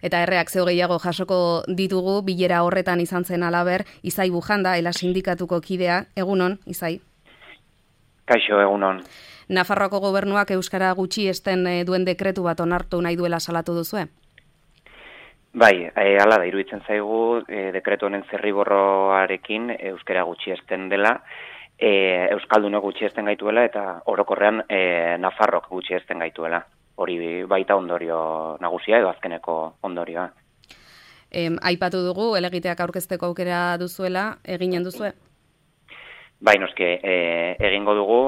Eta erreakzio gehiago jasoko ditugu, bilera horretan izan zen alaber, Izai Bujanda, ELA sindikatuko kidea. Egunon, Izai? Kaixo, egunon. Nafarroako gobernuak euskara gutxiesten duen dekretu bat onartu nahi duela salatu duzue? Bai, hala da, iruditzen zaigu dekretu honen zirriborroarekin euskara gutxiesten dela, euskaldunok gutxiesten gaituela eta orokorrean Nafarrok gutxiesten gaituela. Hori baita ondorio nagusia edo azkeneko ondorioa. Aipatu dugu, helegiteak aurkezteko aukera duzuela, eginen duzue? Bai, noski, egingo dugu,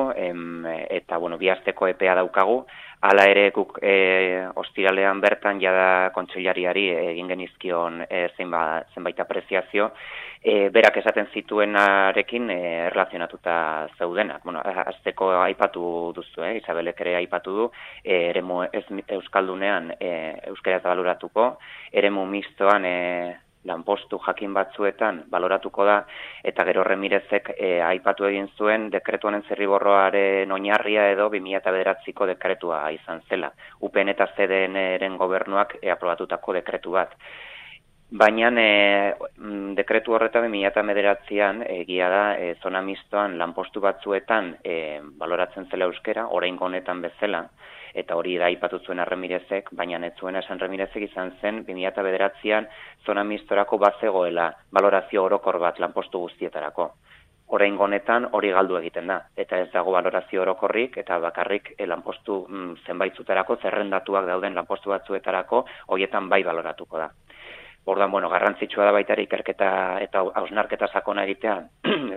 eta, bi asteko epea daukagu, hala ere guk ostiralean bertan jada kontseilariari egin genizkion zenbait apreziazio, berak esaten zituenarekin erlazionatuta zeudenak. Azteko aipatu duzu, Isabelek ere aipatu du, eremu euskaldunean euskara ez baloratuko, eremu mistoan lanpostu jakin batzuetan baloratuko da, eta gero Remirezek aipatu egin zuen dekretu honen zirriborroaren oinarria edo 2009ko dekretua izan zela. UPN eta CDN-ren gobernuak aprobatutako dekretu bat. Baina dekretu horretan 2009an egia da zona mistoan lanpostu batzuetan baloratzen zela euskera, oraingo honetan bezala, eta hori da aipatu zuen Remirezek, baina ez zuen esan Remirezek izan zen 2009an zona mistorako bazegoela balorazio orokor bat lanpostu guztietarako. Oraingo honetan hori galdu egiten da, eta ez dago balorazio orokorrik eta bakarrik lanpostu zenbaitzutarako zerrendatuak dauden lanpostu batzuetarako horietan bai baloratuko da. Orduan, garrantzitsua da baita ikerketa eta hausnarketa sakona egitea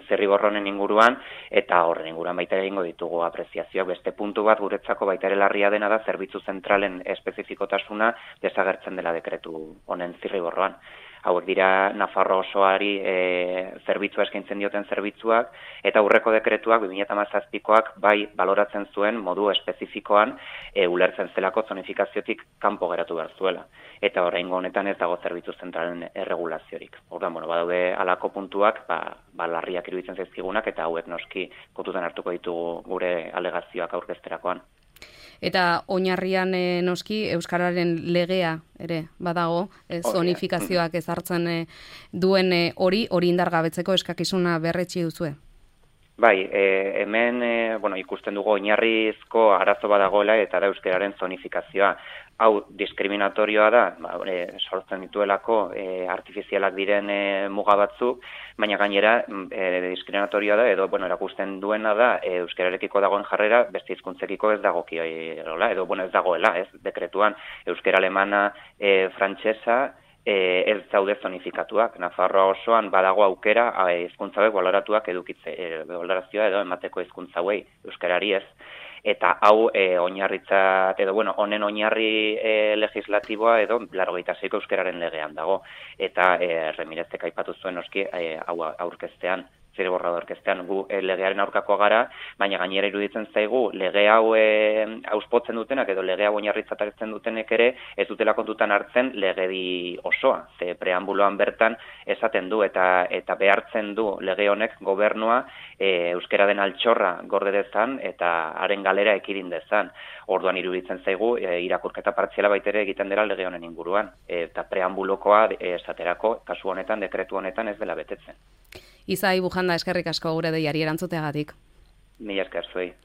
zirriborronen inguruan, eta horren inguruan baita egingo ditugu apreziazioak. Beste puntu bat guretzako baita ere larria dena da zerbitzu zentralen espezifikotasuna desagertzen dela dekretu honen zirriborroan. Hauek dira Nafarro osoari zerbitzua eskaintzen dioten zerbitzuak, eta aurreko dekretuak 2017koak bai baloratzen zuen modu espezifikoan ulertzen zelako zonifikaziotik kanpo geratu behar zuela. Eta oraingo honetan ez dago zerbitzu zentralen erregulaziorik. Orduan, badaude halako puntuak, larriak iruditzen zaizkigunak, eta hauek noski kontutan hartuko ditugu gure alegazioak aurkezterakoan. Eta oinarrian noski euskararen legea ere badago, zonifikazioak ezartzen duen hori indargabetzeko eskakizuna berretsi duzue? Bai, hemen ikusten dugu oinarrizko arazo badagoela eta da euskararen zonifikazioa. Hau diskriminatorioa da, sortzen dituelako artifizialak diren muga batzuk, baina gainera diskriminatorioa da, edo erakusten duena da euskararekiko dagoen jarrera beste hizkuntzekiko ez dagokiola, edo ez dagoela, dekretuan euskara alemana, frantsesa, ez daude zonifikatuak. Nafarroa osoan badago aukera hizkuntza hauek baloratuak edukitze, balorazioa edo emateko hizkuntza hauei euskarari ez. Eta hau oinarritzat edo honen oinarri legislatiboa edo 86ko euskararen legean dago. Eta Remirezek aipatu zuen noski hau aurkeztean, zirriborroa aurkeztean gu legearen aurkakoa gara, baina gainera iruditzen zaigu lege hau auspotzen dutenak edo lege hau oinarritzat hartzen dutenek ere ez dutela kontutan hartzen legedi osoa. Ze preambuloan bertan esaten du eta behartzen du lege honek gobernua euskara den altxorra gorde dezan eta haren galera ekidin dezan. Orduan iruditzen zaigu irakurketa partziala baitere egiten dela lege honen inguruan. Eta preambulokoa esaterako kasu honetan, dekretu honetan ez dela betetzen. Izai Bujanda, eskerrik asko gure deiari erantzuteagatik. Mila esker zuei.